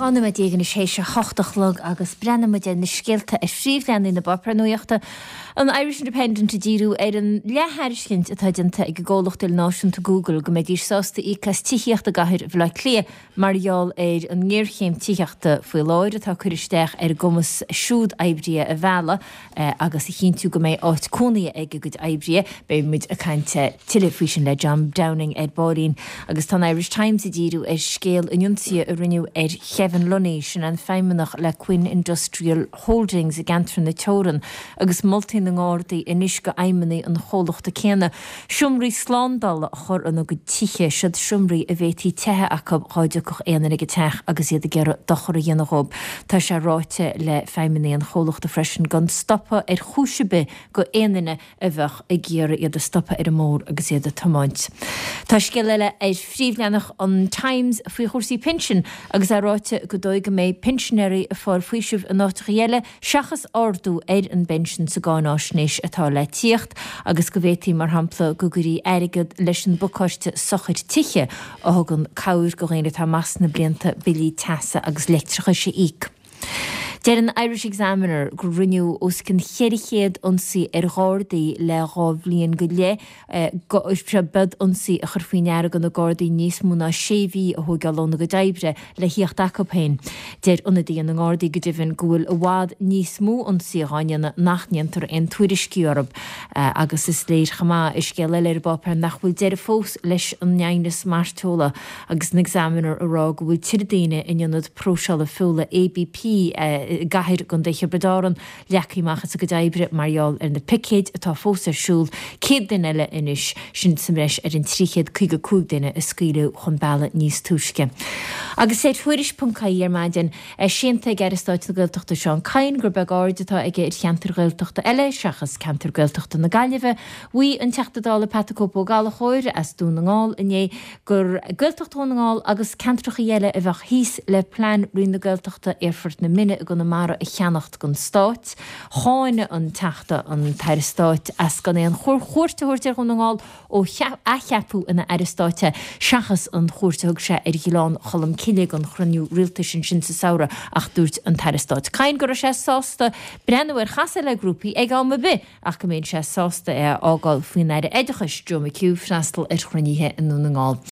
12 nóiméad anois théis a hocht a chlog agus breathnóidh muid ar na scéalta ar phríomhleathanaigh na bpáipéar nuachta. An Irish Independent ag díriú ar an leath-thairiscint atá déanta ag an gcomhlacht ilnáisiúnta Google go mbeidís sásta íoc as tithíocht i gcathair Bhaile Átha Cliath mar gheall ar an ngéarchéim tithíochta faoi láthair atá ag cur isteach ar a gcumas siúd oibrithe a mhealladh agus a chinntiú go mbeidh áit cónaithe ag a gcuid oibrithe. Beidh muid ag caint tuilleadh faoi sin le John Downing ar baillín. Agus tá an Irish Times ag díriú ar scéal an ionsaithe a rinneadh ar Kevin Lunny, sin an feidhmeannach le Quinn Industrial Holdings i gceantar na Teorann, agus moltaí na nGardaí anois go fheidhmeannaigh an chomhlachta céanna seomraí slándála a chur ina gcuid tithe, siod seomraí a bhféadfaí teitheadh acu dhá dtiocfadh aon duine ag an teach agus iad ag iarraidh dochar a dhéanamh dhóibh. Tá sé ráite le feidhmeannaigh an chomhlachta freisin gan stopadh ar chúis ar bith go aon duine a bheadh ag iarraidh iad a stopadh ar an mbóthar agus iad ag tiomáint. Tá scéal eile ar phríomhleathanach an Times faoi chúrsaí pinsin agus é ráite gur dóigh go mbeidh pinsinéirí ag fáil faoisimh in áiteachaí eile seachas ardú ar an bpensean sa gcáináisnéis atá le tíocht agus go bhféadfaí, mar shampla, go gcuirfí airgead leis an bpacáiste sochair tithe a thugann cabhair go dhaoine atá amach sna blianta billí teasa agus leictreachais a íoc. Deir an Irish Examiner gur rinneadh os cionn 400 ionsaí ar Ghardaí le 2 bhliain go leith, B'iad ionsaí a chur faoi ndeara do na Gardaí níos mó ná sé mhí a thóigeáil óna gcuid oibre le thíocht acu féin. Deir ionadaithe na nGardaí go deimhin go bhfuil i bhfad níos mó ionsaithe dhá ndéanamh nach ndéantar aon tuairiscí orthu. Agus is léir chomh maith i scéal eile ar an bpáipéar nach bhfuil deireadh fós leis an aighneas mairteola agus an Examiner ag rá go bhfuil tuilleadh daoine in ionad próiseála feola ABP i gCathair i gContae Thiobraid Árann leagtha amach as a gcuid oibre mar gheall ar na picéid atá fós ar siúl, 100 duine eile anois, sin sa mbreis ar an 355 duine a scaoileadh chun bealaigh níos túisce. Agus ar Tuairisc.ie ar maidin, é séanta ag Aire Stáit na Gaeltachta Seán Kyne gur beag aird atá aige ar cheantair Ghaeltachta eile seachas ceantar Gaeltachta na Gaillimhe, mhaígh an Teachta Dála Pat 'the Cope Ó Gallchóir as Dún na nGall inné gur Gaeltacht Dhún na nGall agus ceantrachaí eile a bheadh thíos le plean Roinn na Gaeltachta Aerfort na Minne i gConamara a cheannacht don Stát. Cháin an Teachta an tAire Stáit as gan aon chuairt a thabhairt ar Dhún na nGall ó athcheapadh ina Aire Stáit é, seachas an chuairt a thug sé ar Ghleann Cholm Cille don chruinniú rialtais ansin sa samhradh ach dúirt an tAire Stáit Kyne go raibh sé sásta breathnú ar chasadh le grúpaí ag am ar bith ach go mbeinnse sásta é a fhágáil faoin Aire Oideachais, Joe McHugh, freastal ar chruinnithe i nDún na nGall.